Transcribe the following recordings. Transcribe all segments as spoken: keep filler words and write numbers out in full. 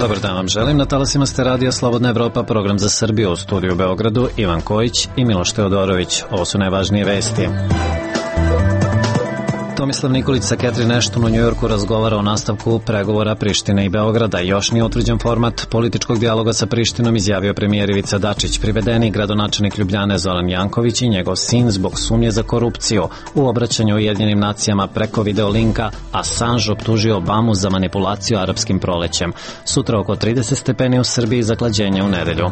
Dobar dan vam želim. Na talasima ste radija Slobodna Evropa, program za Srbiju, u studiju u Beogradu Ivan Kojić i Miloš Teodorović. Ovo su najvažnije vesti. Tomislav Nikolić sa Catherine Ashton u Njujorku razgovara o nastavku pregovora Prištine i Beograda. Još nije utvrđen format političkog dijaloga sa Prištinom, izjavio premijer Ivica Dačić. Privedeni gradonačelnik Ljubljane Zoran Janković i njegov sin zbog sumnje za korupciju. U obraćanju Ujedinjenim nacijama preko videolinka Assange optužio Obamu za manipulaciju arapskim prolećem. Sutra oko trideset stepeni u Srbiji, zaklađenje u nedelju.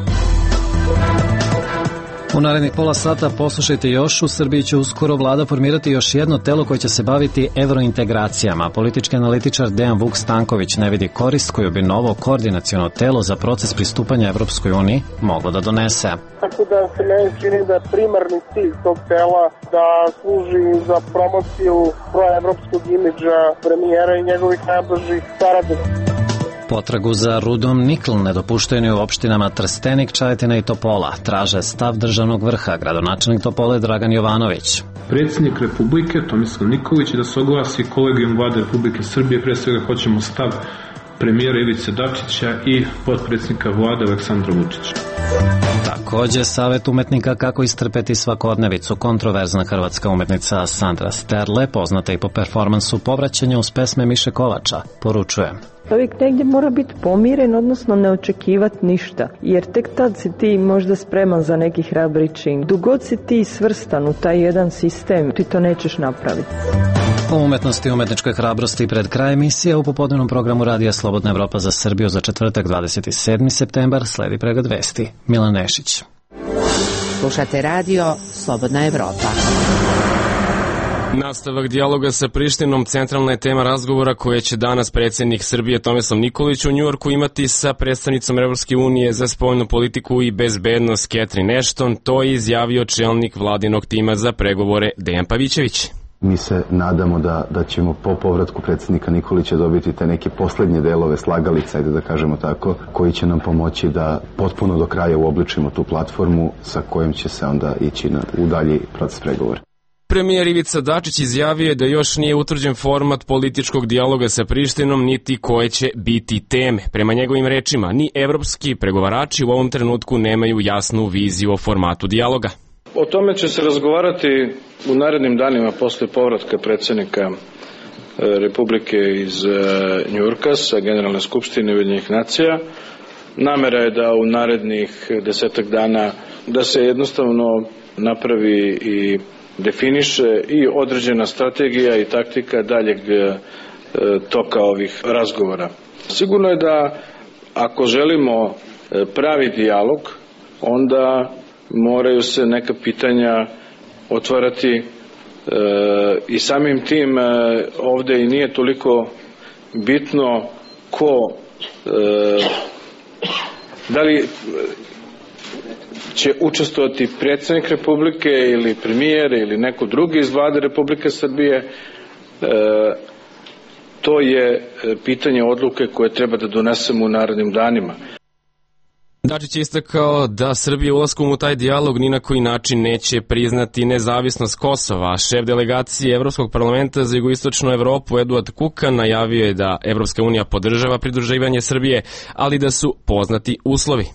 U narednih pola sata poslušajte još. U Srbiji će uskoro vlada formirati još jedno telo koje će se baviti evrointegracijama. Politički analitičar Dejan Vuk Stanković ne vidi korist koju bi novo koordinaciono telo za proces pristupanja Evropskoj uniji moglo da donese. Tako da se meni čini da je primarni cilj tog tela da služi za promociju proevropskog imidža premijera i njegovih najbližih saradnika. Potragu za rudom nikl ne dopuštaju ni u opštinama Trstenik, Čajetina i Topola. Traže stav državnog vrha. Gradonačelnik Topole Dragan Jovanović. Predsjednik Republike Tomislav Nikolić da se oglasi kolegijum vlade Republike Srbije. Pre svega hoćemo stav premijera Ivice Dačića i potpredsjednika vlade Aleksandra Vučića. Takođe, savjet umetnika kako istrpeti svakodnevicu. Kontroverzna hrvatska umetnica Sandra Sterle, poznata i po performansu Povraćanja uz pesme Miše Kovača, poručuje: čovjek negdje mora biti pomiren, odnosno ne očekivati ništa, jer tek tad si ti možda spreman za neki hrabri čin. Dok god si ti svrstan u taj jedan sistem, ti to nećeš napraviti. O umetnosti i umetničkoj hrabrosti pred kraj emisije u popodnevnom programu Radija Slobodna Evropa za Srbiju za četvrtak dvadeset sedmi septembar sledi pregled vesti. Milan Nešić. Slušate radio Slobodna Evropa. Nastavak dijaloga sa Prištinom centralna je tema razgovora koje će danas predsjednik Srbije Tomislav Nikolić u Njujorku imati sa predstavnicom Evropske unije za spoljnu politiku i bezbednost Catherine Ashton. To je izjavio čelnik vladinog tima za pregovore Dejan Pavićević. Mi se nadamo da, da ćemo po povratku predsjednika Nikolića dobiti te neke poslednje delove slagalica, ajde da kažemo tako, koji će nam pomoći da potpuno do kraja uobličimo tu platformu sa kojom će se onda ići na, u dalji proces pregovora. Premijer Ivica Dačić izjavio je da još nije utvrđen format političkog dijaloga sa Prištinom, niti koje će biti teme. Prema njegovim rečima, ni evropski pregovarači u ovom trenutku nemaju jasnu viziju o formatu dijaloga. O tome će se razgovarati u narednim danima posle povratka predsjednika Republike iz Njujorka sa Generalne skupštine Ujedinjenih nacija. Namera je da u narednih desetak dana da se jednostavno napravi i definiše i određena strategija i taktika daljeg toka ovih razgovora. Sigurno je da ako želimo pravi dijalog, onda moraju se neka pitanja otvarati e, i samim tim e, ovde i nije toliko bitno ko e, da li će učestvovati predsjednik Republike ili premijer ili neko drugi iz vlade Republike Srbije. E, to je pitanje odluke koje treba da donesemo u narednim danima. Dačić je istakao da Srbija ulaskom u taj dijalog ni na koji način neće priznati nezavisnost Kosova. Šef delegacije Evropskog parlamenta za jugoistočnu Evropu Eduard Kukan najavio je da Evropska unija podržava pridruživanje Srbije, ali da su poznati uslovi.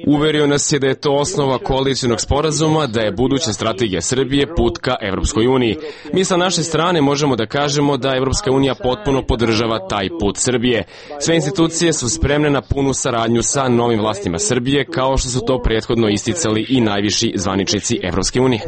Uverio nas je da je to osnova koalicionog sporazuma, da je buduća strategija Srbije put ka Evropskoj uniji. Mi sa naše strane možemo da kažemo da Evropska unija potpuno podržava taj put Srbije. Sve institucije su spremne na punu saradnju sa novim vlastima Srbije, kao što su to prethodno isticali i najviši zvaničnici Evropske unije.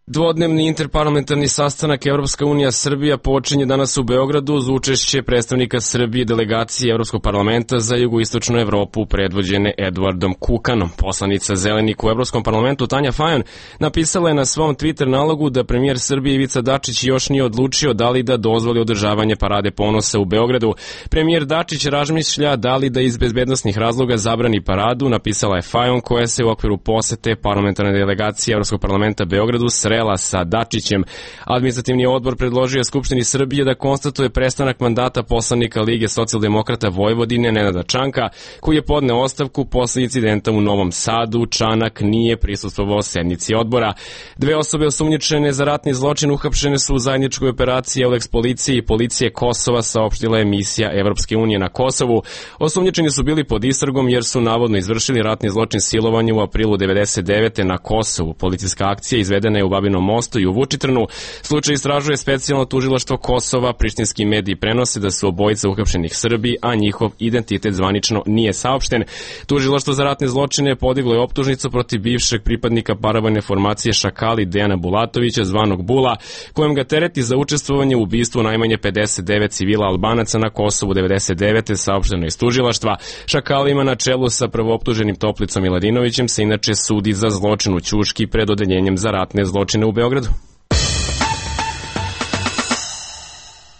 Dvodnevni interparlamentarni sastanak Evropska unija Srbija počinje danas u Beogradu uz učešće predstavnika Srbije delegacije Evropskog parlamenta za jugoistočnu Evropu predvođene Eduardom Kukanom. Poslanica Zelenih u Evropskom parlamentu Tanja Fajon napisala je na svom Twitter nalogu da premijer Srbije Ivica Dačić još nije odlučio da li da dozvoli održavanje parade ponosa u Beogradu. Premijer Dačić razmišlja da li da iz bezbednosnih razloga zabrani paradu, napisala je Fajon koja se u okviru posete parlamentarne delegacije Evropskog parlamenta Beogradu sre duela sa Dačićem. Administrativni odbor predložio je Skupštini Srbije da konstatuje prestanak mandata poslanika Lige socijaldemokrata Vojvodine Nenada Čanka, koji je podneo ostavku posle incidenta u Novom Sadu. Čanak nije prisustvovao sednici odbora. Dve osobe osumnjičene za ratni zločin uhapšene su u zajedničkoj operaciji Eulex policije i policije Kosova, saopštila je misija Evropske unije na Kosovu. Osumnjičeni su bili pod istragom jer su navodno izvršili ratni zločin silovanja u aprilu devedeset devete na Kosovu. Policijska akcija izvedena je u Babinom Mostu i u Vučitrnu. Slučaj istražuje specijalno tužilaštvo Kosova. Prištinski mediji prenose da su obojica uhapšenih Srbi, a njihov identitet zvanično nije saopšten. Tužilaštvo za ratne zločine podiglo je optužnicu protiv bivšeg pripadnika paravojne formacije Šakali Dejana Bulatovića, zvanog Bula, kojem ga tereti za učestvovanje u ubistvu najmanje pedeset devet civila Albanaca na Kosovu devedeset devete, saopšteno iz tužilaštva. Šakalima na čelu sa prvooptuženim Toplicom Miladinovićem se inače sudi za zločin u Ćuški pred odeljenjem za ratne zločine u Beogradu.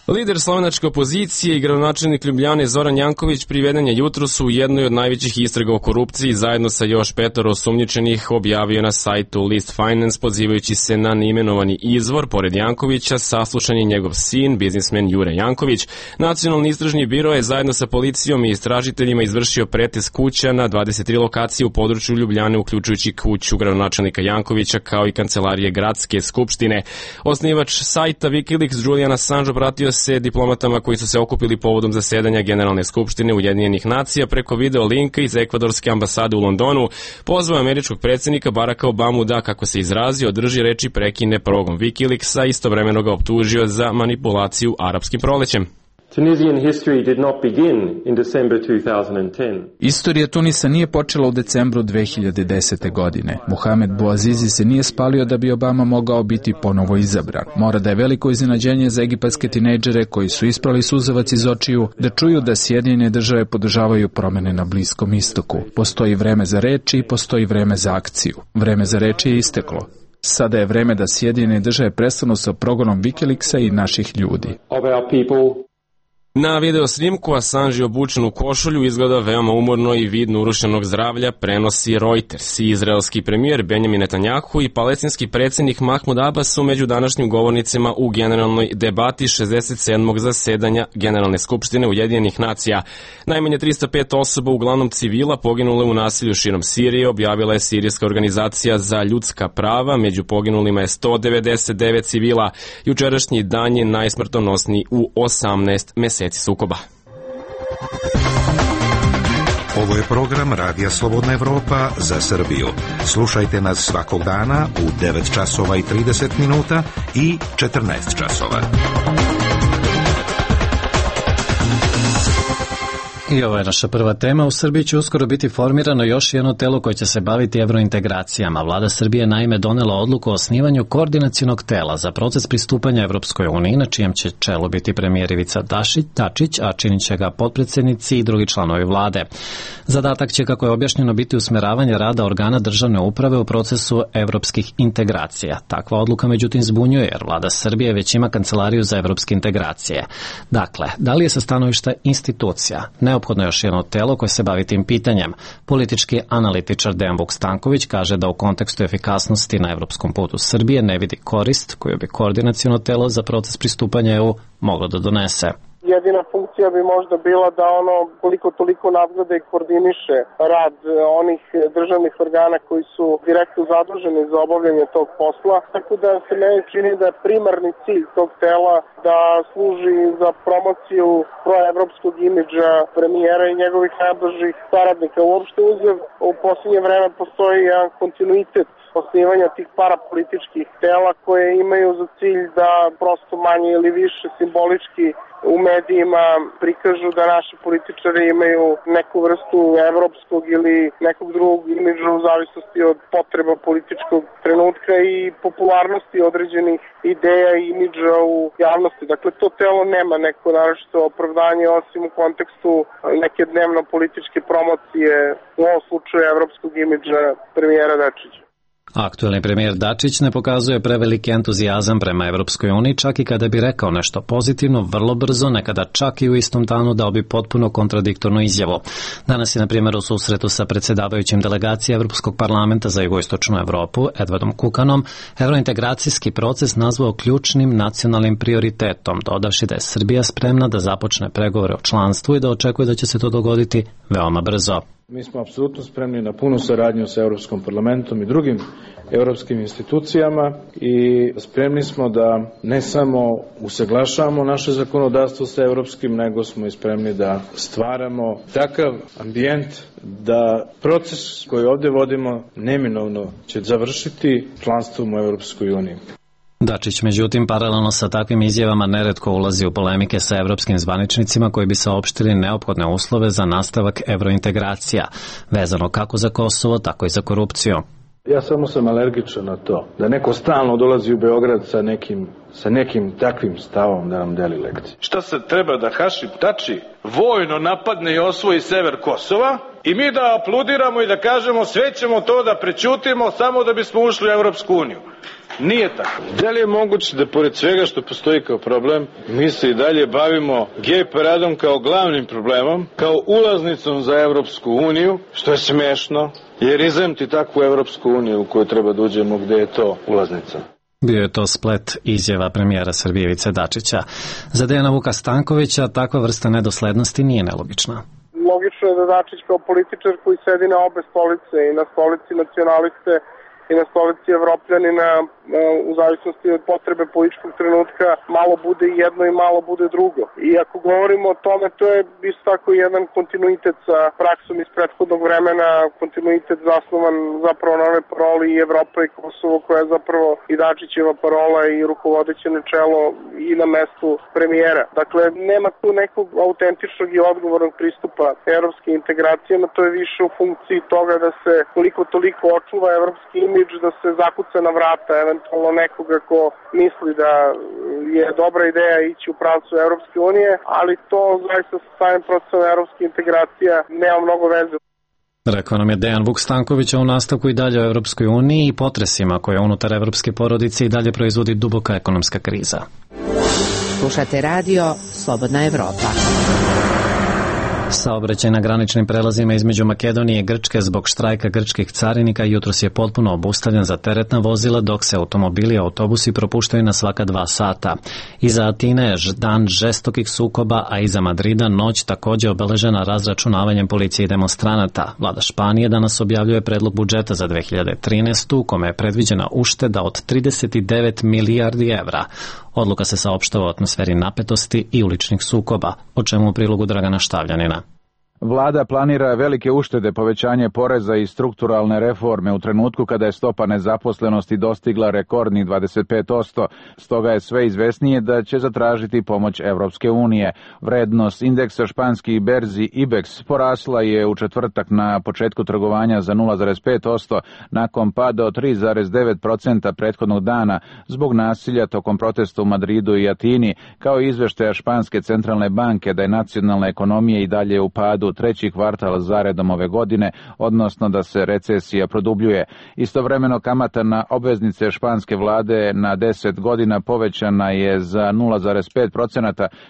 Lider slovenačke opozicije i gradonačelnik Ljubljane Zoran Janković priveden je jutros u jednoj od najvećih istraga o korupciji zajedno sa još petoro osumnjičenih, objavio na sajtu List Finance, pozivajući se na neimenovani izvor. Pored Jankovića saslušan je njegov sin, biznismen Jure Janković. Nacionalni istražni biro je zajedno sa policijom i istražiteljima izvršio pretres kuća na dvadeset tri lokacije u području Ljubljane, uključujući kuću gradonačelnika Jankovića kao i kancelarije gradske skupštine. Osnivač sajta Wikileaks Julian Assange obratio se diplomatama koji su se okupili povodom zasedanja Generalne skupštine Ujedinjenih nacija preko video linka iz ekvadorske ambasade u Londonu. Pozvao američkog predsjednika Baracka Obamu da, kako se izrazio, održi reči prekine progon Wikileaksa, istovremeno ga optužio za manipulaciju arapskim prolećem. Tunisian history did not begin in December two thousand ten. Istorija Tunisa nije počela u decembru dve hiljade desete. godine. Mohamed Bouazizi se nije spalio da bi Obama mogao biti ponovo izabran. Mora da je veliko iznenađenje za egipatske tinejdžere koji su isprali suzavac iz očiju da čuju da Sjedinjene države podržavaju promene na Bliskom istoku. Postoji vreme za reči i postoji vreme za akciju. Vreme za reči je isteklo. Sada je vreme da Sjedinjene države prestanu sa progonom Wikileaksa i naših ljudi. Of our people. Na video snimku Assange obučen u košulju izgleda veoma umorno i vid urušenog zdravlja prenosi Reuters. Izraelski premijer Benjamin Netanjahu i palestinski predsjednik Mahmud Abbas su među današnjim govornicima u generalnoj debati šezdeset sedmog zasedanja Generalne skupštine Ujedinjenih nacija. Najmanje tristo pet osoba, uglavnom civila, poginule u nasilju širom Sirije, objavila je Sirijska organizacija za ljudska prava. Među poginulima je sto devedeset devet civila. Jučerašnji dan je najsmrtonosniji u osamnaest meseci sukoba. Ovo je program Radija Slobodna Evropa za Srbiju. Slušajte nas svakog dana u devet časova i trideset minuta i četrnaest časova. I ovo je naša prva tema. U Srbiji će uskoro biti formirano još jedno telo koje će se baviti evrointegracijama. Vlada Srbije naime donela odluku o osnivanju koordinacionog tela za proces pristupanja Evropskoj uniji, na čijem će čelu biti premijer Ivica Dačić, a činit će ga potpredsjednici i drugi članovi vlade. Zadatak će, kako je objašnjeno, biti usmeravanje rada organa državne uprave u procesu evropskih integracija. Takva odluka međutim zbunjuje, jer vlada Srbije već ima kancelariju za evropske integracije. Dakle, da li je sa stanovišta institucija neophodno još jedno telo koje se bavi tim pitanjem? Politički analitičar Dejan Vuk-Stanković kaže da u kontekstu efikasnosti na evropskom putu Srbije ne vidi korist koju bi koordinaciono telo za proces pristupanja E U moglo da donese. Jedina funkcija bi možda bila da ono koliko toliko nadgleda i koordiniše rad onih državnih organa koji su direktno zaduženi za obavljanje tog posla. Tako da se meni čini da je primarni cilj tog tela da služi za promociju proevropskog imidža premijera i njegovih najbližih saradnika. Uopšte uzev, u posljednje vreme postoji jedan kontinuitet osnivanja tih parapolitičkih tela koje imaju za cilj da prosto manje ili više simbolički u medijima prikažu da naši političari imaju neku vrstu evropskog ili nekog drugog imidža u zavisnosti od potreba političkog trenutka i popularnosti određenih ideja i imidža u javnosti. Dakle, to telo nema neko naročito opravdanje osim u kontekstu neke dnevno političke promocije, u ovom slučaju evropskog imidža premijera Dačića. Aktuelni premijer Dačić ne pokazuje preveliki entuzijazam prema Evropskoj uniji, čak i kada bi rekao nešto pozitivno, vrlo brzo, nekada čak i u istom danu dao bi potpuno kontradiktornu izjavu. Danas je, na primjer, u susretu sa predsjedavajućim delegacije Evropskog parlamenta za jugoistočnu Evropu, Edwardom Kukanom, evrointegracijski proces nazvao ključnim nacionalnim prioritetom, dodavši da je Srbija spremna da započne pregovore o članstvu i da očekuje da će se to dogoditi veoma brzo. Mi smo apsolutno spremni na punu saradnju sa Evropskom parlamentom i drugim evropskim institucijama i spremni smo da ne samo usaglašavamo naše zakonodavstvo sa evropskim, nego smo i spremni da stvaramo takav ambijent da proces koji ovdje vodimo neminovno će završiti članstvom u Evropskoj uniji. Dačić, međutim, paralelno sa takvim izjavama neretko ulazi u polemike sa evropskim zvaničnicima koji bi saopštili neophodne uslove za nastavak evrointegracija, vezano kako za Kosovo, tako i za korupciju. Ja samo sam alergičan na to, da neko stalno dolazi u Beograd sa nekim, sa nekim takvim stavom da nam deli lekcije. Šta se treba da Hašim Tači vojno napadne i osvoji sever Kosova i mi da apludiramo i da kažemo sve ćemo to da prećutimo samo da bismo ušli u Evropsku uniju? Nije tako. Da li je moguće da pored svega što postoji kao problem, mi se i dalje bavimo gej paradom kao glavnim problemom, kao ulaznicom za Evropsku uniju, što je smešno, jer izemti takvu Evropsku uniju u koju treba da uđemo gde je to ulaznica. Bio je to splet izjava premijera Srbije Ivice Dačića. Za Dejana Vuka Stankovića takva vrsta nedoslednosti nije nelogična. Logično je da Dačić kao političar koji sedi na obe stolice, i na stolici nacionaliste i na stolici Evropljanina, u zavisnosti od potrebe političkog trenutka, malo bude jedno i malo bude drugo. I ako govorimo o tome, to je isto tako jedan kontinuitet sa praksom iz prethodnog vremena, kontinuitet zasnovan zapravo na ove paroli i Evropa i Kosovo, koja je zapravo i Dačićeva parola i rukovodeće načelo i na mestu premijera. Dakle, nema tu nekog autentičnog i odgovornog pristupa evropskim integracijama, to je više u funkciji toga da se koliko toliko očuva evropski imidž, da se zakuca na vrata eventualno nekoga ko misli da je dobra ideja ići u pravcu Evropske unije, ali to zaista sa samim procesom evropske integracija nema mnogo veze. Rekao nam je Dejan Vuk Stanković, u nastavku i dalje o Evropskoj uniji i potresima koje unutar evropske porodice i dalje proizvodi duboka ekonomska kriza. Slušate radio Slobodna Evropa. Saobraćaj na graničnim prelazima između Makedonije i Grčke zbog štrajka grčkih carinika jutros je potpuno obustavljen za teretna vozila, dok se automobili i autobusi propuštaju na svaka dva sata. Iza Atine je dan žestokih sukoba, a iza Madrida noć također obeležena razračunavanjem policije i demonstranata. Vlada Španije danas objavljuje predlog budžeta za dve hiljade trinaestu. u kome je predviđena ušteda od trideset devet milijardi evra. Odluka se saopštava o atmosferi napetosti i uličnih sukoba, o čemu u prilogu Dragana Štavljanina. Vlada planira velike uštede, povećanje poreza i strukturalne reforme u trenutku kada je stopa nezaposlenosti dostigla rekordnih dvadeset pet posto. Stoga je sve izvesnije da će zatražiti pomoć Evropske unije. Vrednost indeksa španskih berzi IBEX porasla je u četvrtak na početku trgovanja za nula zarez pet posto nakon pada od tri zarez devet posto prethodnog dana zbog nasilja tokom protesta u Madridu i Atini, kao i izveštaja Španske centralne banke da je nacionalna ekonomija i dalje u padu treći kvartal zaredom ove godine, odnosno da se recesija produbljuje. Istovremeno kamata na obveznice španske vlade na deset godina povećana je za nula zarez pet posto,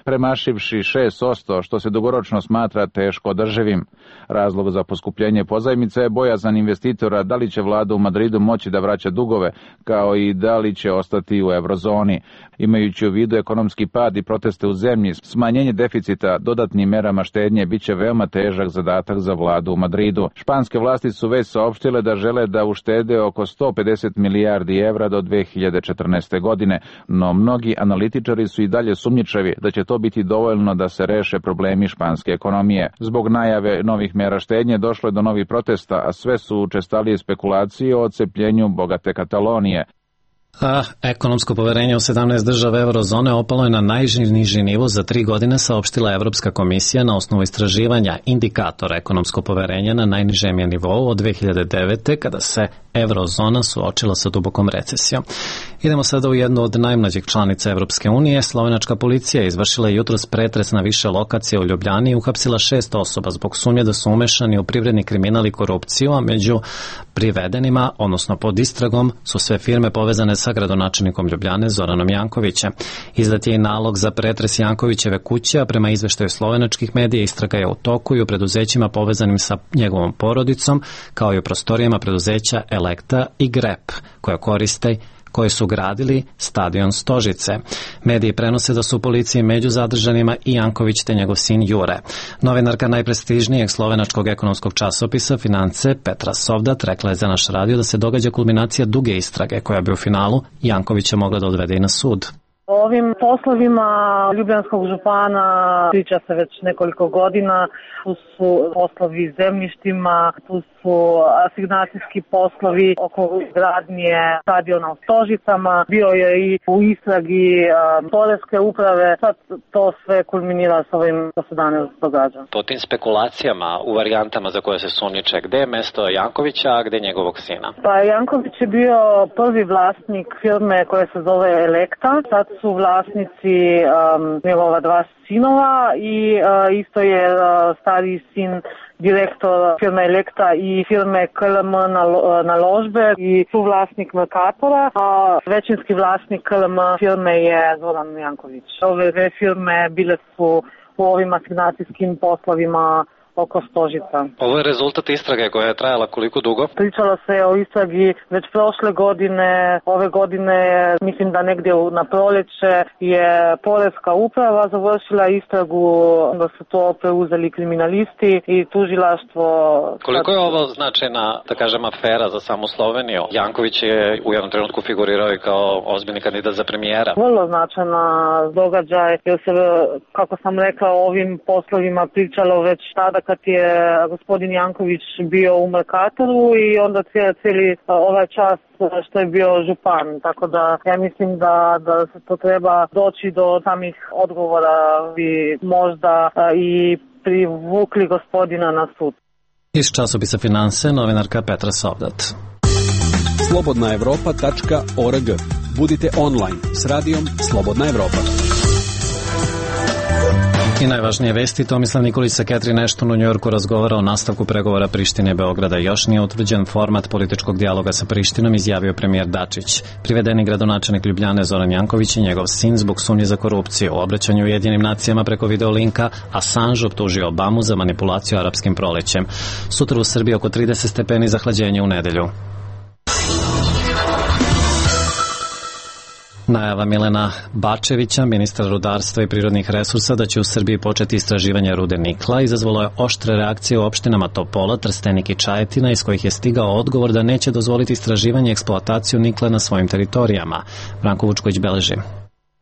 premašivši šest posto, što se dugoročno smatra teško održivim. Razlog za poskupljenje pozajmice je bojazan investitora da li će vlada u Madridu moći da vraća dugove, kao i da li će ostati u eurozoni. Imajući u vidu ekonomski pad i proteste u zemlji, smanjenje deficita dodatnim merama štednje biće veoma težak zadatak za vladu u Madridu. Španske vlasti su već saopštile da žele da uštede oko sto pedeset milijardi evra do dve hiljade četrnaeste. godine, no mnogi analitičari su i dalje sumnjičavi da će to biti dovoljno da se reše problemi španske ekonomije. Zbog najave novih mera štednje došlo je do novih protesta, a sve su učestalije spekulacije o odcepljenju bogate Katalonije. A ekonomsko poverenje u sedamnaest država eurozone opalo je na najniži nivo za tri godine, saopštila Evropska komisija na osnovu istraživanja indikatora ekonomsko poverenja na najnižem je nivou od dve hiljade devete. kada se eurozona suočila sa dubokom recesijom. Idemo sada u jednu od najmlađih članica Evropske unije. Slovenačka policija izvršila jutros pretres na više lokacija u Ljubljani i uhapsila šest osoba zbog sumnje da su umešani u privredni kriminal i korupciju, a među privedenima, odnosno pod istragom, su sve firme povezane sa gradonačelnikom Ljubljane Zoranom Jankovićem. Izdat je i nalog za pretres Jankovićeve kuće, a prema izveštaju slovenačkih medija istraga je u toku i u preduzećima povezanim sa njegovom porodicom, kao i u prostorijama preduzeća Elekta i Grep, koje koriste koje su gradili stadion Stožice. Mediji prenose da su u policiji među zadržanima i Janković te njegov sin Jure. Novinarka najprestižnijeg slovenačkog ekonomskog časopisa Finance Petra Sovdat rekla je za naš radio da se događa kulminacija duge istrage koja bi u finalu Jankovića mogla da odvede i na sud. O ovim poslovima ljubljanskog župana priča se već nekoliko godina. Tu su poslovi zemljištima, tu su asignacijski poslovi oko gradnje stadiona u Stožicama. Bio je i u istragi um, poreske uprave. Sad to sve kulminira s ovim što se danas događa. Po tim spekulacijama u varijantama za koje se sumnjiče, gde je mesto Jankovića, a gde njegovog sina? Pa Janković je bio prvi vlasnik firme koja se zove Elekta. Sad su vlasnici um, njegova dva sinova i uh, isto je uh, stari sin direktor firme Elekta i firme K L M Naložbe i suvlasnik Mercatora, a većinski vlasnik K L M firme je Zoran Janković. Ove dve firme bile su u ovim asignacijskim poslovima oko Stožica. Ovo je rezultat istrage koja je trajala koliko dugo? Pričalo se o istragi već prošle godine, ove godine, mislim da negdje na proljeće je poreska uprava završila istragu, da su to preuzeli kriminalisti i tužilaštvo. Koliko je ovo značajna, da kažem, afera za samu Sloveniju? Janković je u jednom trenutku figurirao i kao ozbiljni kandidat za premijera. Vrlo značajna događaj, jer se, kako sam rekla, o ovim poslovima pričalo već tada kad je gospodin Janković bio u Mercatoru i onda cijeli ovaj čas što je bio župan. Tako da ja mislim da, da se to treba doći do samih odgovora i možda i privukli gospodina na sud. Iz časopisa Finance, novinarka Petra Sovdat. slobodna evropa tačka org. Budite online s radijom Slobodna Evropa. I najvažnije vesti, Tomislav Nikolić sa Catherine Ashton u Njujorku razgovara o nastavku pregovora Prištine i Beograda. Još nije utvrđen format političkog dijaloga sa Prištinom, izjavio premijer Dačić. Privedeni gradonačelnik Ljubljane Zoran Janković i njegov sin zbog sumnje za korupciju. U obraćanju Ujedinjenim nacijama preko videolinka Assange optužio Obamu za manipulaciju arapskim prolećem. Sutra u Srbiji oko trideset stepeni, zahlađenje u nedelju. Najava Milena Bačevića, ministra rudarstva i prirodnih resursa, da će u Srbiji početi istraživanje rude nikla, izazvalo je oštre reakcije u opštinama Topola, Trstenik i Čajetina, iz kojih je stigao odgovor da neće dozvoliti istraživanje i eksploataciju nikla na svojim teritorijama. Branko Vučković beleži.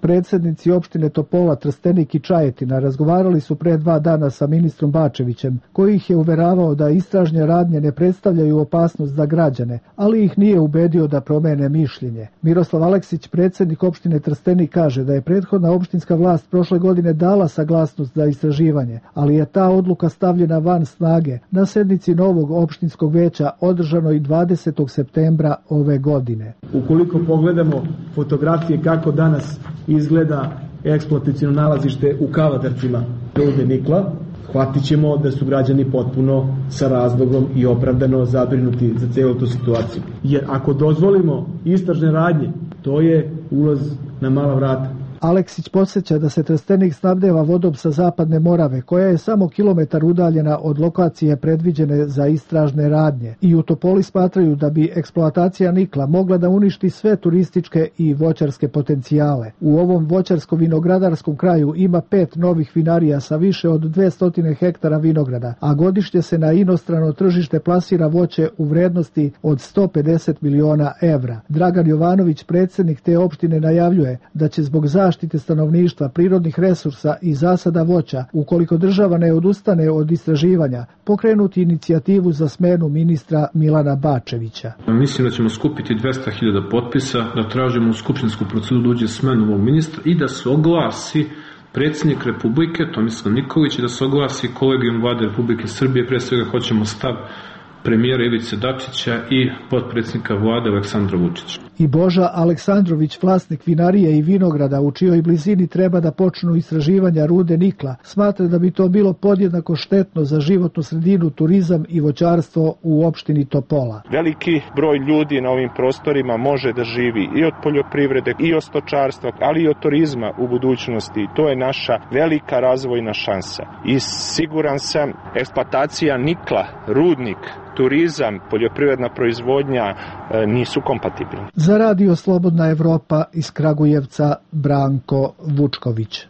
Predsjednici opštine Topola, Trstenik i Čajetina razgovarali su pre dva dana sa ministrom Bačevićem, koji ih je uveravao da istražne radnje ne predstavljaju opasnost za građane, ali ih nije ubedio da promene mišljenje. Miroslav Aleksić, predsjednik opštine Trstenik, kaže da je prethodna opštinska vlast prošle godine dala saglasnost za istraživanje, ali je ta odluka stavljena van snage na sednici novog opštinskog veća održanoj dvadesetog septembra ove godine. Ukoliko pogledamo fotografije kako danas izgleda eksploataciono nalazište u Kavadarcima rude nikla, shvatit ćemo da su građani potpuno sa razlogom i opravdano zabrinuti za celu tu situaciju. Jer ako dozvolimo istražne radnje, to je ulaz na mala vrata. Aleksić podsjeća da se Trstenik snabdeva vodom sa zapadne Morave, koja je samo kilometar udaljena od lokacije predviđene za istražne radnje. I u Topoli smatraju da bi eksploatacija nikla mogla da uništi sve turističke i voćarske potencijale. U ovom voćarsko-vinogradarskom kraju ima pet novih vinarija sa više od dvesta hektara vinograda, a godišnje se na inostrano tržište plasira voće u vrednosti od sto pedeset miliona evra. Dragan Jovanović, predsjednik te opštine, najavljuje da će zbog zaštite zaštite stanovništva, prirodnih resursa i zasada voća, ukoliko država ne odustane od istraživanja, pokrenuti inicijativu za smenu ministra Milana Bačevića. Mislim da ćemo skupiti dvesta hiljada potpisa, da tražimo u skupštinsku proceduru da uđe smenu ovog ministra i da se oglasi predsjednik Republike Tomislav Nikolić i da se oglasi kolegijum Vlade Republike Srbije. Pre svega hoćemo stav premijera Ivice Dačića i potpredsjednika vlade Aleksandra Vučića. I Boža Aleksandrović, vlasnik vinarije i vinograda u čijoj blizini treba da počnu istraživanja rude nikla, smatra da bi to bilo podjednako štetno za životnu sredinu, turizam i voćarstvo u opštini Topola. Veliki broj ljudi na ovim prostorima može da živi i od poljoprivrede i od stočarstva, ali i od turizma u budućnosti. To je naša velika razvojna šansa. I siguran sam, eksploatacija nikla, rudnik, turizam, poljoprivredna proizvodnja nisu kompatibilni. Za Radio Slobodna Evropa iz Kragujevca, Branko Vučković.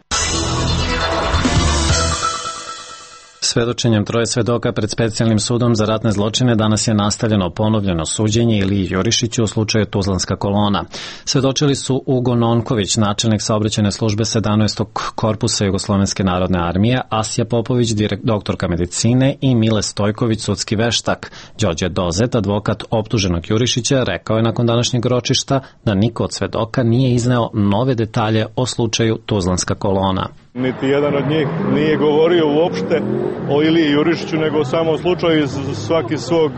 Svedočenjem troje svedoka pred specijalnim sudom za ratne zločine danas je nastavljeno ponovljeno suđenje Iliji Jurišiću u slučaju Tuzlanska kolona. Svedočili su Ugo Nonković, načelnik saobraćajne službe sedamnaestog korpusa Jugoslovenske narodne armije, Asija Popović, doktorka medicine i Mile Stojković, sudski veštak. Đorđe Dozet, advokat optuženog Jurišića, rekao je nakon današnjeg ročišta da niko od svedoka nije izneo nove detalje o slučaju Tuzlanska kolona. Niti jedan od njih nije govorio uopšte o Iliji Jurišiću, nego o samom slučaju iz svaki svog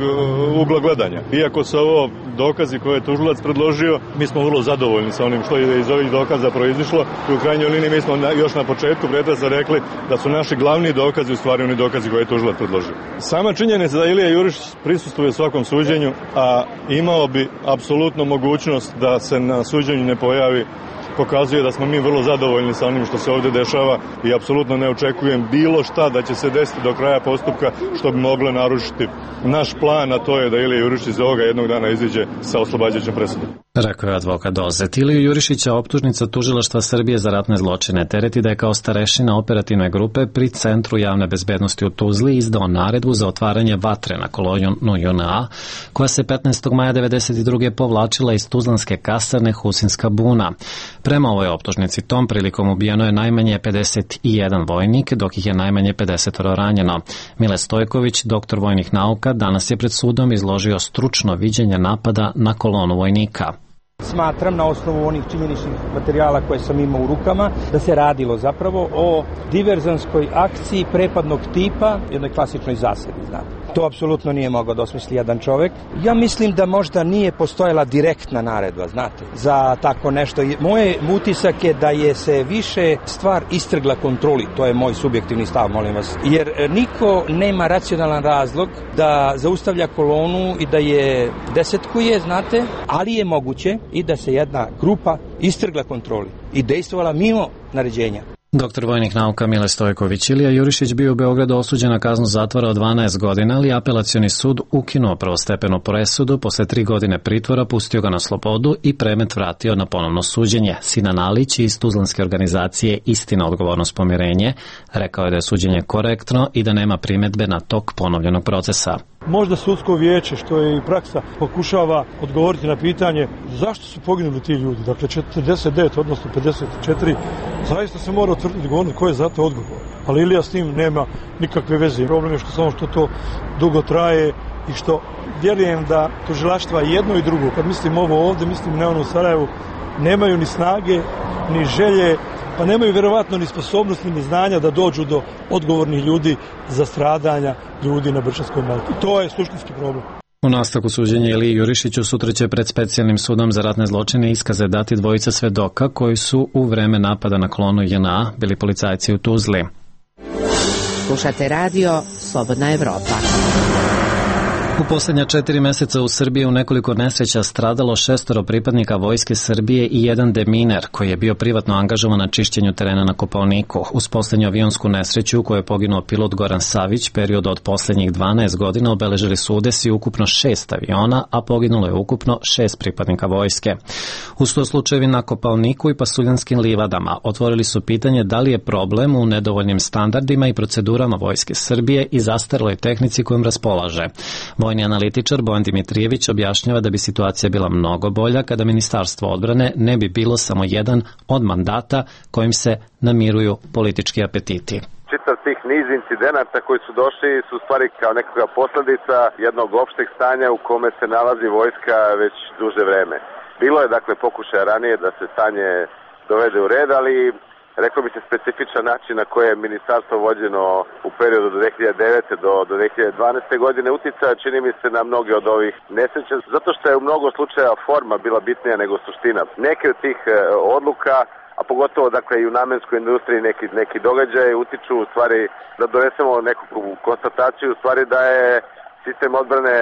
ugla gledanja. Iako su ovo dokazi koje je tužilac predložio, mi smo vrlo zadovoljni sa onim što je iz ovih dokaza proizišlo. I u krajnjoj liniji mi smo još na početku pretresa rekli da su naši glavni dokazi u stvari oni dokazi koje je tužilac predložio. Sama činjenica da Ilija Jurišić prisustvuje svakom suđenju, a imao bi apsolutno mogućnost da se na suđenju ne pojavi, pokazuje da smo mi vrlo zadovoljni sa onim što se ovdje dešava i apsolutno ne očekujem bilo šta da će se desiti do kraja postupka što bi moglo narušiti naš plan, a to je da Ilija Jurišić iz ovoga jednog dana iziđe sa oslobađajućom presudom. Rekao je advokat Dozet. Iliju Jurišića optužnica Tužilaštva Srbije za ratne zločine tereti da je kao starešina operativne grupe pri Centru javne bezbednosti u Tuzli izdao naredbu za otvaranje vatre na kolonu J N A, koja se petnaestog maja devedeset druge povlačila iz tuzlanske kasarne Husinska buna. Prema ovoj optužnici tom prilikom ubijeno je najmanje pedeset jedan vojnik, dok ih je najmanje pedeset ranjeno. Mile Stojković, doktor vojnih nauka, danas je pred sudom izložio stručno viđenje napada na kolonu vojnika. Smatram na osnovu onih činjeničnih materijala koje sam imao u rukama da se radilo zapravo o diverzanskoj akciji prepadnog tipa, jednoj klasičnoj zasedi, znate. To apsolutno nije mogao da osmisli jedan čovek. Ja mislim da možda nije postojala direktna naredba, znate, za tako nešto. Moje utisak je da je se više stvar istrgla kontroli, to je moj subjektivni stav, molim vas. Jer niko nema racionalan razlog da zaustavlja kolonu i da je desetkuje, znate, ali je moguće i da se jedna grupa istrgla kontroli i dejstvovala mimo naređenja. Doktor vojnih nauka Mile Stojković. Ilija Jurišić bio u Beogradu osuđen na kaznu zatvora od dvanaest godina, ali apelacioni sud ukinuo prvostepenu presudu, posle tri godine pritvora pustio ga na slobodu i predmet vratio na ponovno suđenje. Sinan Alić iz tuzlanske organizacije Istina, odgovornost, pomirenje rekao je da je suđenje korektno i da nema primedbe na tok ponovljenog procesa. Možda sudsko vijeće, što je i praksa, pokušava odgovoriti na pitanje zašto su poginuli ti ljudi, dakle četrdeset devet, odnosno pedeset četiri, zaista se mora utvrditi ko je za to odgovor. Ali Ilija s tim nema nikakve veze. Problem je što samo što to dugo traje i što vjerujem da tužilaštva jedno i drugo, kad mislim ovo ovdje, mislim na ono u Sarajevu, nemaju ni snage, ni želje, pa nemaju vjerovatno ni sposobnosti ni znanja da dođu do odgovornih ljudi za stradanja ljudi na Brčanskoj Malti. To je suštinski problem. U nastavku suđenja Iliji Jurišiću sutra će pred specijalnim sudom za ratne zločine iskaze dati dvojica svedoka koji su u vreme napada na kolonu J N A bili policajci u Tuzli. Slušate radio Slobodna Evropa. U posljednja četiri meseca u Srbiji u nekoliko nesreća stradalo šestoro pripadnika Vojske Srbije i jedan deminer koji je bio privatno angažovan na čišćenju terena na Kopaoniku. Uz posljednju avionsku nesreću u kojoj je poginuo pilot Goran Savić, period od posljednjih dvanaest godina obeležili su udesi ukupno šest aviona, a poginulo je ukupno šest pripadnika vojske. Uz to slučajevi na Kopaoniku i Pasuljanskim livadama otvorili su pitanje da li je problem u nedovoljnim standardima i procedurama Vojske Srbije i zastareloj tehnici kojom raspolaže. Vojni analitičar Bojan Dimitrijević objašnjava da bi situacija bila mnogo bolja kada Ministarstvo odbrane ne bi bilo samo jedan od mandata kojim se namiruju politički apetiti. Čitav tih niz incidenata koji su došli su stvari kao nekakva posljedica jednog opšteg stanja u kome se nalazi vojska već duže vreme. Bilo je dakle pokušaja ranije da se stanje dovede u red, ali rekao bi se, specifičan način na koje je ministarstvo vođeno u periodu do dve hiljade devete. do, do dve hiljade dvanaeste. godine uticaja, čini mi se, na mnoge od ovih nesreća, zato što je u mnogo slučaja forma bila bitnija nego suština. Neke od tih e, odluka, a pogotovo dakle i u namenskoj industriji neki, neki događaje utiču u stvari da donesemo neku konstataciju u stvari da je sistem odbrane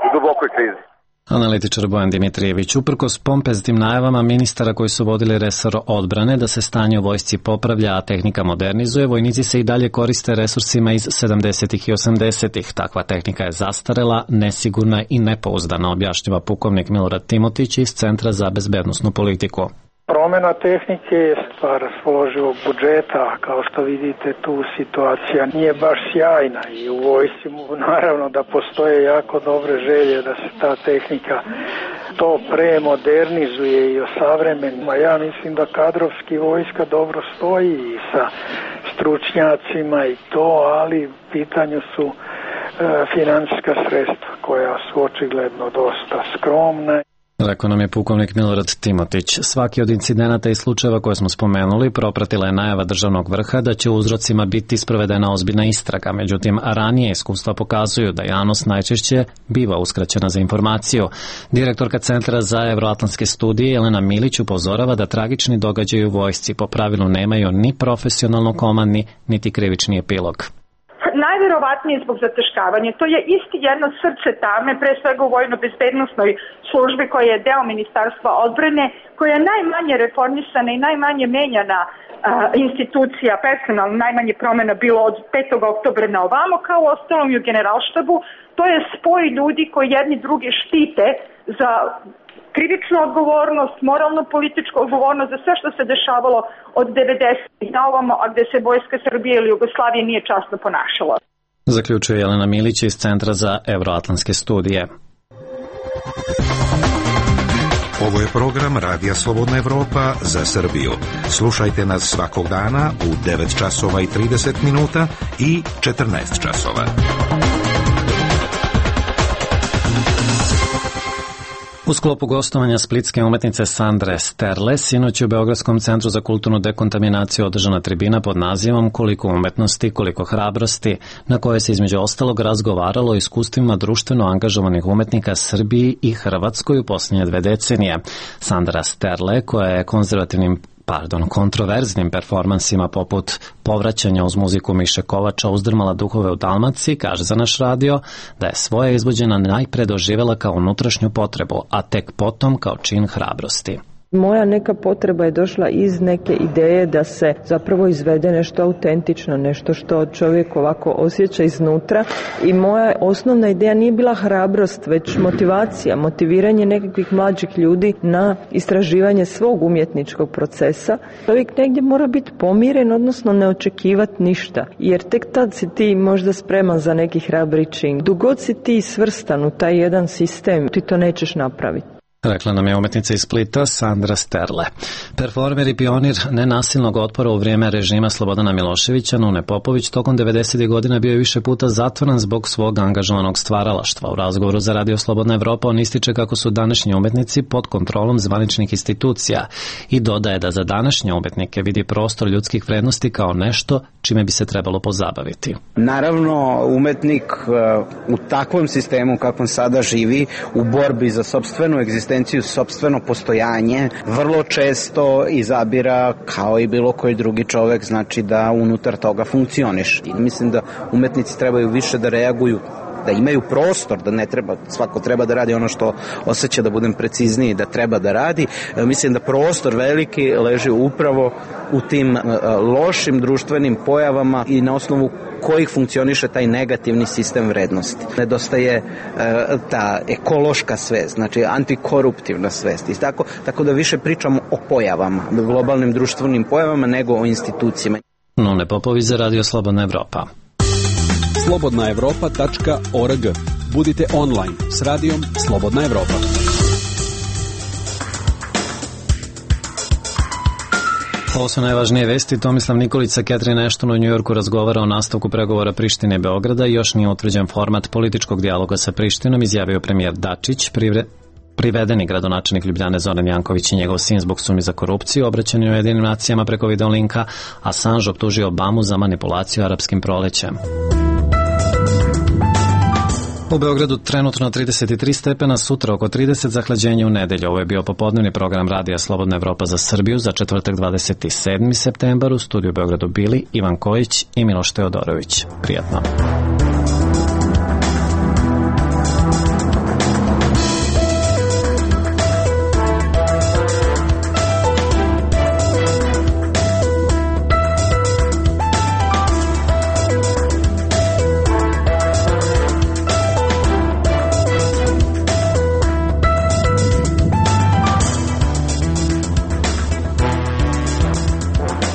u dubokoj krizi. Analitičar Bojan Dimitrijević, uprkos pompeznim najavama ministara koji su vodili resor odbrane da se stanje u vojsci popravlja, a tehnika modernizuje, vojnici se i dalje koriste resursima iz sedamdesetih i osamdesetih. Takva tehnika je zastarela, nesigurna i nepouzdana, objašnjava pukovnik Milorad Timotić iz Centra za bezbednosnu politiku. Promena tehnike je stvar raspoloživog budžeta, kao što vidite tu situacija nije baš sjajna i u vojsci naravno da postoje jako dobre želje da se ta tehnika to premodernizuje i osavremenima. Ja mislim da kadrovski vojska dobro stoji i sa stručnjacima i to, ali u pitanju su e, finansijska sredstva koja su očigledno dosta skromna. Rekao nam je pukovnik Milorad Timotić. Svaki od incidenata i slučajeva koje smo spomenuli propratila je najava državnog vrha da će u uzrocima biti sprovedena ozbiljna istraga. Međutim, ranije iskustva pokazuju da javnost najčešće biva uskraćena za informaciju. Direktorka Centra za evroatlantske studije Jelena Milić upozorava da tragični događaji u vojsci po pravilu nemaju ni profesionalno komandni, niti krivični epilog. Najverovatnije zbog zataškavanja. To je isti jedno srce tame, pre svega u vojno-bezbednosnoj službi koja je deo Ministarstva odbrane, koja je najmanje reformisana i najmanje menjana a, institucija, personalno najmanje promjena bilo od petog oktobra na ovamo, kao u ostalom i u generalštabu. To je spoj ljudi koji jedni drugi štite za krivičnu odgovornost, moralno-političku odgovornost za sve što se dešavalo od devedesetih na ovamo, a gde se Vojska Srbije ili Jugoslavije nije časno ponašala. Zaključuje Jelena Milić iz Centra za evroatlantske studije. Ovo je program Radija Slobodna Evropa za Srbiju. Slušajte nas svakog dana u devet časova i trideset minuta i četrnaest časova. U sklopu gostovanja splitske umetnice Sandre Sterle, sinoć u Beogradskom centru za kulturnu dekontaminaciju održana tribina pod nazivom Koliko umetnosti, koliko hrabrosti, na kojoj se između ostalog razgovaralo o iskustvima društveno angažovanih umetnika Srbiji i Hrvatskoj u posljednje dve decenije. Sandra Sterle, koja je konzervativnim pardon, kontroverznim performansima poput povraćanja uz muziku Miše Kovača uzdrmala duhove u Dalmaciji, kaže za naš radio da je svoje izvođena najpre doživela kao unutrašnju potrebu, a tek potom kao čin hrabrosti. Moja neka potreba je došla iz neke ideje da se zapravo izvede nešto autentično, nešto što čovjek ovako osjeća iznutra, i moja osnovna ideja nije bila hrabrost, već motivacija, motiviranje nekakvih mlađih ljudi na istraživanje svog umjetničkog procesa. Čovjek negdje mora biti pomiren, odnosno ne očekivati ništa, jer tek tad si ti možda spreman za neki hrabri čin. Dok god si ti svrstan u taj jedan sistem, ti to nećeš napraviti. Rekla nam je umetnica iz Splita Sandra Sterle. Performer i pionir nenasilnog otpora u vrijeme režima Slobodana Miloševića, Nune Popović, tokom devedesetih godina bio je više puta zatvoren zbog svog angažovanog stvaralaštva. U razgovoru za Radio Slobodna Evropa on ističe kako su današnji umetnici pod kontrolom zvaničnih institucija i dodaje da za današnje umetnike vidi prostor ljudskih vrednosti kao nešto čime bi se trebalo pozabaviti. Naravno, umetnik u takvom sistemu kakvom sada živi, u borbi za sopstvenu egzistenciju, sopstveno postojanje, vrlo često izabira, kao i bilo koji drugi čovek, znači da unutar toga funkcioniš. I mislim da umetnici trebaju više da reaguju, da imaju prostor, da ne treba, svako treba da radi ono što osjeća, da budem precizniji, da treba da radi. Mislim da prostor veliki leži upravo u tim lošim društvenim pojavama i na osnovu kojih funkcioniše taj negativni sistem vrednosti. Nedostaje e, ta ekološka svest, znači antikoruptivna svest. I tako, tako da više pričamo o pojavama, globalnim društvenim pojavama, nego o institucijama. Nune Popović za Radio Slobodna Evropa. slobodna evropa tačka org. Budite online s radijom Slobodna Evropa. Ovo su najvažnije vesti. Tomislav Nikolić sa Catherine Ashton u Njujorku razgovara o nastavku pregovora Prištine i Beograda. Još nije utvrđen format političkog dijaloga sa Prištinom, izjavio premijer Dačić. Privre... privedeni gradonačelnik Ljubljane Zoran Janković i njegov sin zbog sumnje za korupciju, obraćanje u Ujedinim nacijama preko videolinka, Assange optužio Obamu za manipulaciju arapskim prolećem. U Beogradu trenutno trideset tri stepena, sutra oko trideset, zahlađenje u nedelju. Ovo je bio popodnevni program Radija Slobodna Evropa za Srbiju za četvrtak dvadeset sedmi septembar. U studiju u Beogradu bili Ivan Kojić i Miloš Teodorović. Prijatno.